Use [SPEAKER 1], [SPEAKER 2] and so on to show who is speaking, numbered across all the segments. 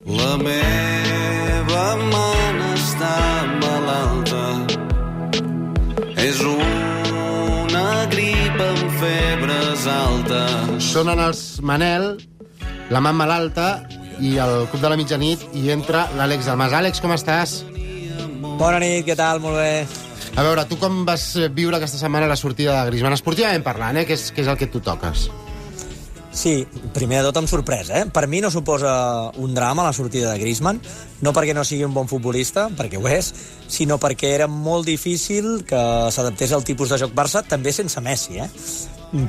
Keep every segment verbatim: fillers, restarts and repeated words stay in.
[SPEAKER 1] La meva man està malalta. És una grip amb febres altes.
[SPEAKER 2] Sonen els Manel, la man malalta i el Club de la Mitjanit, i entra l'Àlex Dalmas. Àlex, com estàs?
[SPEAKER 3] Bona nit, què tal? Molt bé.
[SPEAKER 2] A veure, tu com vas viure aquesta setmana la sortida de Griezmann? Esportivament parlant, eh? Que és, que és el que tu toques.
[SPEAKER 3] Sí, primer de tot amb sorpresa, eh? Per mi no suposa un drama la sortida de Griezmann, no perquè no sigui un bon futbolista, perquè ho és, sinó perquè era molt difícil que s'adaptés al tipus de joc Barça, també sense Messi, eh?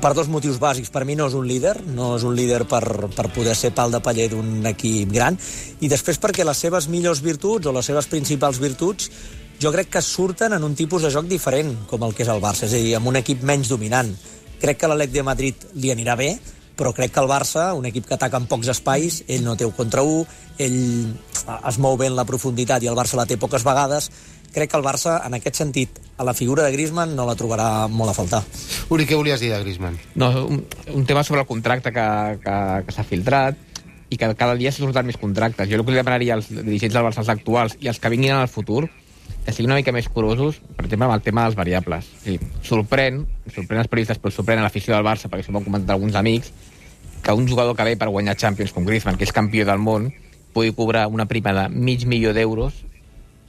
[SPEAKER 3] Per dos motius bàsics. Per mi no és un líder, no és un líder per, per poder ser pal de paller d'un equip gran, i després perquè les seves millors virtuts o les seves principals virtuts jo crec que surten en un tipus de joc diferent, com el que és el Barça, és a dir, amb un equip menys dominant. Crec que a l'Atlètic de Madrid li anirà bé, però crec que el Barça, un equip que ataca en pocs espais, ell no té un contra un, ell es mou bé en la profunditat i el Barça la té poques vegades. Crec que el Barça, en aquest sentit, a la figura de Griezmann no la trobarà molt a faltar.
[SPEAKER 2] Uri, què volies dir de Griezmann?
[SPEAKER 4] No, un, un tema sobre el contracte que, que, que s'ha filtrat i que cada dia s'ha sortat més contractes. Jo el que li demanaria als dirigents del Barça actuals i als que vinguin en el futur que siguin una mica més curosos, per exemple, amb el tema dels variables. Sí, sorprèn, sorprèn els periodistes, però sorprèn a l'afició del Barça, perquè s'ho van comentar alguns amics, que un jugador que ve per guanyar Champions com Griezmann, que és campió del món, pugui cobrar una prima de mig milió d'euros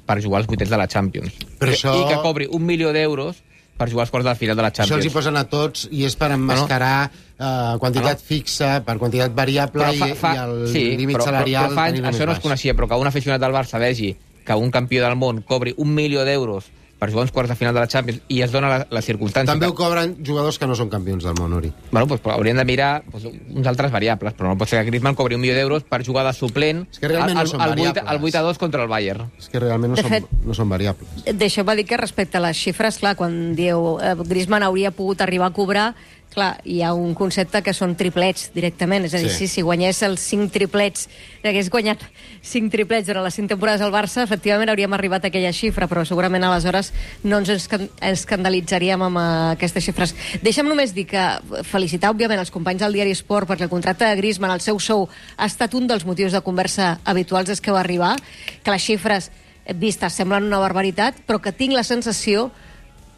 [SPEAKER 4] per jugar als vuitens de la Champions.
[SPEAKER 2] Però això...
[SPEAKER 4] I que cobri un milió d'euros per jugar als quarts de la final de la Champions.
[SPEAKER 2] Això els hi posen a tots i és per emmascarar uh, quantitat no. fixa, per quantitat variable fa, fa, i, i el
[SPEAKER 4] sí,
[SPEAKER 2] límit
[SPEAKER 4] però,
[SPEAKER 2] salarial...
[SPEAKER 4] Però, però fa anys això no es coneixia, però que un aficionat del Barça vegi que un campió del món cobri un milió d'euros per jugar uns quarts de final de la Champions i es dona la, la circumstància...
[SPEAKER 2] També
[SPEAKER 4] que...
[SPEAKER 2] ho cobren jugadors que no són campions del món, Uri.
[SPEAKER 4] Bueno, doncs haurien de mirar doncs, uns altres variables, però no pot ser que Griezmann cobri un milió d'euros per jugar de suplent
[SPEAKER 2] és que realment
[SPEAKER 4] al,
[SPEAKER 2] no són
[SPEAKER 4] al,
[SPEAKER 2] variables.
[SPEAKER 4] al vuit a dos contra el Bayern.
[SPEAKER 2] És que realment no,
[SPEAKER 5] de
[SPEAKER 2] són,
[SPEAKER 5] fet,
[SPEAKER 2] no són variables.
[SPEAKER 5] Deixeu-me dir que respecte a les xifres, clar, quan dieu eh, Griezmann hauria pogut arribar a cobrar, clar, hi ha un concepte que són triplets directament, és a dir, sí. si, si guanyés els cinc triplets, hagués guanyat cinc triplets durant les cinc temporades al Barça, efectivament hauríem arribat a aquella xifra, però segurament aleshores no ens escandalitzaríem amb aquestes xifres. Deixa'm només dir que felicitar, òbviament, els companys del diari Sport, perquè el contracte de Griezmann, el seu sou, ha estat un dels motius de conversa habituals des que va arribar, que les xifres vistes semblen una barbaritat, però que tinc la sensació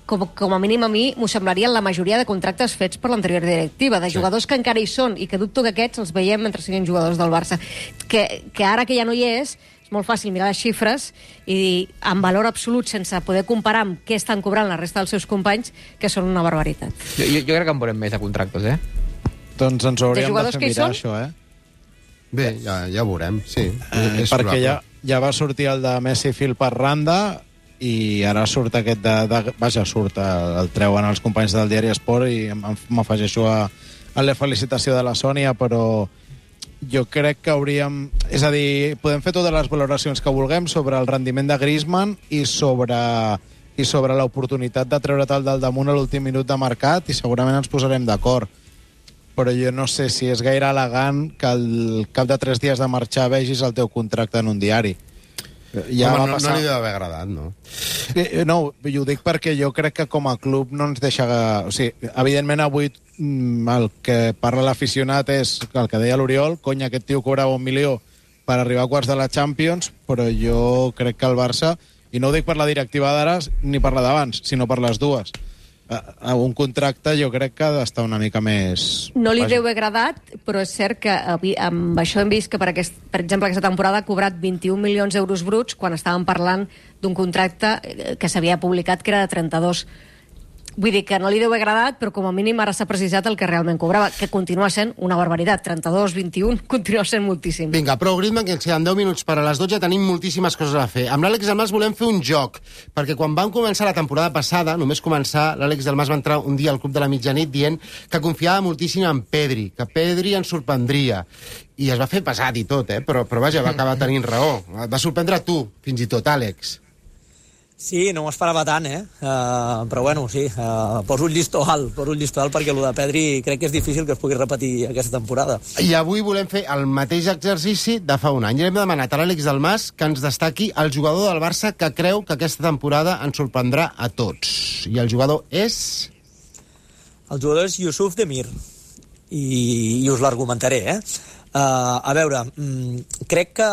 [SPEAKER 5] Com, com a mínim a mi m'ho semblarien la majoria de contractes fets per l'anterior directiva, de jugadors sí. que encara hi són i que dubto que aquests els veiem mentre siguin jugadors del Barça. Que, que ara que ja no hi és, és molt fàcil mirar les xifres i dir, en valor absolut, sense poder comparar amb què estan cobrant la resta dels seus companys, que són una barbaritat.
[SPEAKER 4] Jo, jo, jo crec que en veurem més de contractes, eh?
[SPEAKER 6] Doncs ens hauríem de,
[SPEAKER 5] de
[SPEAKER 6] fer mirar això, eh?
[SPEAKER 2] Bé, ja, ja ho veurem, sí.
[SPEAKER 6] Eh,
[SPEAKER 2] és
[SPEAKER 6] perquè ja,
[SPEAKER 2] probable.
[SPEAKER 6] ja va sortir el de Messi fil per randa i ara surt aquest de... de vaja, surt, el, el treuen els companys del diari Esport i m'afegeixo a, a la felicitació de la Sònia, però jo crec que hauríem... És a dir, podem fer totes les valoracions que vulguem sobre el rendiment de Griezmann i sobre, i sobre l'oportunitat de treure-te'l del damunt a l'últim minut de mercat i segurament ens posarem d'acord. Però jo no sé si és gaire elegant que al cap de tres dies de marxar vegis el teu contracte en un diari.
[SPEAKER 2] Ja Home, no, passar... no li deu haver agradat, no?
[SPEAKER 6] No, jo ho dic perquè jo crec que com a club no ens deixa... O sigui, evidentment avui el que parla l'aficionat és el que deia l'Oriol, cony, aquest tio cobrava un milió per arribar a quarts de la Champions, però jo crec que el Barça, i no ho dic per la directiva d'ara ni per la d'abans, sinó per les dues, un contracte jo crec que ha d'estar una mica més...
[SPEAKER 5] No li deu haver agradat, però és cert que amb això hem vist que, per, aquest, per exemple, aquesta temporada ha cobrat vint-i-un milions d'euros bruts quan estàvem parlant d'un contracte que s'havia publicat que era de trenta-dos. Vull dir que no li deu haver agradat, però com a mínim ara s'ha precisat el que realment cobrava, que continua sent una barbaritat. trenta-dos, vint-i-un, continua sent moltíssim.
[SPEAKER 2] Vinga, prou Griezmann, que ens queden deu minuts per a les dotze, tenim moltíssimes coses a fer. Amb l'Àlex Dalmas volem fer un joc, perquè quan vam començar la temporada passada, només començar, l'Àlex Dalmas va entrar un dia al Club de la Mitjanit dient que confiava moltíssim en Pedri, que Pedri ens sorprendria. I es va fer pesat i tot, eh? però, però vaja, va acabar tenint raó. Va sorprendre a tu, fins i tot, Àlex.
[SPEAKER 3] Sí, no m'ho esperava tant, eh? Uh, però bueno, sí, uh, poso un llistó alt, poso un llistó alt perquè el de Pedri crec que és difícil que es pugui repetir aquesta temporada.
[SPEAKER 2] I avui volem fer el mateix exercici de fa un any. I hem demanat a l'Àlex Dalmas que ens destaqui el jugador del Barça que creu que aquesta temporada ens sorprendrà a tots. I el jugador és...
[SPEAKER 3] El jugador és Youssouf Demir. I, i us l'argumentaré, eh? Uh, a veure, mm, crec que,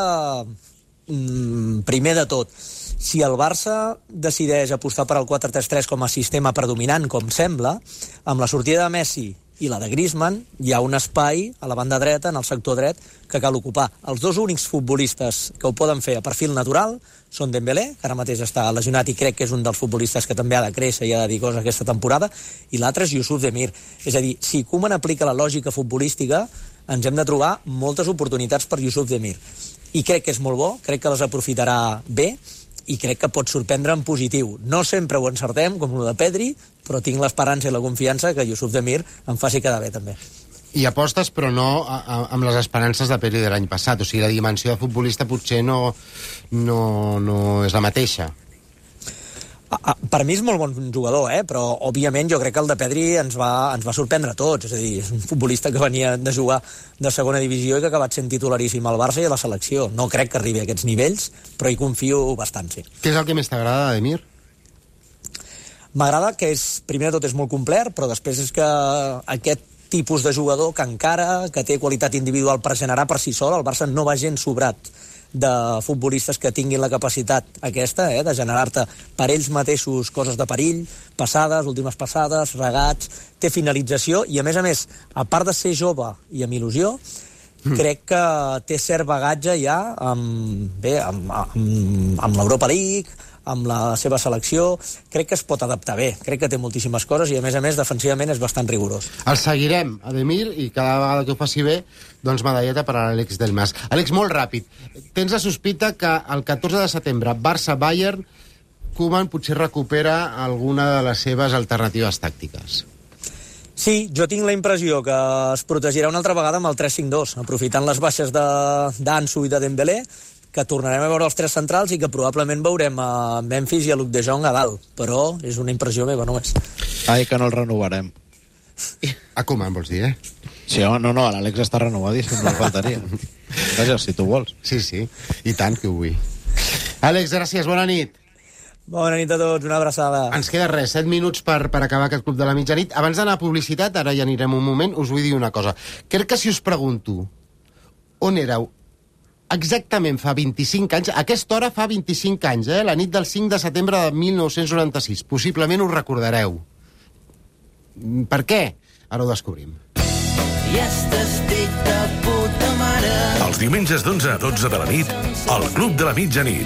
[SPEAKER 3] mm, primer de tot, si el Barça decideix apostar per al quatre tres tres com a sistema predominant, com sembla, amb la sortida de Messi i la de Griezmann, hi ha un espai a la banda dreta, en el sector dret, que cal ocupar. Els dos únics futbolistes que ho poden fer a perfil natural són Dembélé, que ara mateix està lesionat i crec que és un dels futbolistes que també ha de créixer i ha de dir coses aquesta temporada, i l'altre és Youssouf Demir. És a dir, si Koeman aplica la lògica futbolística, ens hem de trobar moltes oportunitats per Youssouf Demir. I crec que és molt bo, crec que les aprofitarà bé, i crec que pot sorprendre en positiu. No sempre ho encertem, com el de Pedri, però tinc l'esperança i la confiança que Youssouf Demir em faci quedar bé, també.
[SPEAKER 2] I apostes, però no a, a, amb les esperances de Pedri de l'any passat. O sigui, la dimensió de futbolista potser no, no, no és la mateixa.
[SPEAKER 3] A, a, per mi és molt bon jugador, eh? Però òbviament jo crec que el de Pedri ens va, ens va sorprendre a tots. És a dir, és un futbolista que venia de jugar de segona divisió i que ha acabat sent titularíssim al Barça i a la selecció. No crec que arribi a aquests nivells, però hi confio bastant, sí.
[SPEAKER 2] Què és el que més t'agrada, Demir?
[SPEAKER 3] M'agrada que és, primer de tot és molt complet, però després és que aquest tipus de jugador que encara, que té qualitat individual per generar per si sol, el Barça no va gens sobrat de futbolistes que tinguin la capacitat aquesta, eh, de generar-te per ells mateixos coses de perill, passades, últimes passades, regats, té finalització i, a més a més, a part de ser jove i amb il·lusió, mm. crec que té cert bagatge ja amb, bé, amb, amb, amb l'Europa League, amb la seva selecció, crec que es pot adaptar bé, crec que té moltíssimes coses i, a més a més, defensivament és bastant rigorós.
[SPEAKER 2] El seguirem, Ademir, i cada vegada que ho faci bé, doncs medalleta per a l'Àlex Del Mas. Àlex, molt ràpid, tens la sospita que el catorze de setembre, Barça-Bayern, Koeman potser recupera alguna de les seves alternatives tàctiques.
[SPEAKER 3] Sí, jo tinc la impressió que es protegirà una altra vegada amb el tres cinc dos, aprofitant les baixes d'Ansu i de Dembélé, que tornarem a veure els tres centrals i que probablement veurem a Memphis i a Luc de Jong a dalt, però és una impressió meva només.
[SPEAKER 6] Ai, que no el renovarem.
[SPEAKER 2] A Koeman, vols dir, eh?
[SPEAKER 6] Sí, home, no, no, l'Àlex està renovadíssim, no faltaria. Vaja, si tu vols.
[SPEAKER 2] Sí, sí, i tant que ho vull. Àlex, gràcies, bona nit.
[SPEAKER 3] Bona nit a tots, una abraçada.
[SPEAKER 2] Ens queda res, set minuts per, per acabar aquest Club de la Mitjanit. Abans d'anar a publicitat, ara ja anirem un moment, us vull dir una cosa. Crec que si us pregunto on éreu exactament fa vint-i-cinc anys, a aquesta hora fa vint-i-cinc anys, eh? La nit del cinc de setembre de mil nou-cents noranta-sis. Possiblement us recordareu. Per què? Ara ho descobrim.
[SPEAKER 7] I estic de puta mare.
[SPEAKER 8] Els diumenges d'onze a dotze de la nit, al Club de la Mitjanit.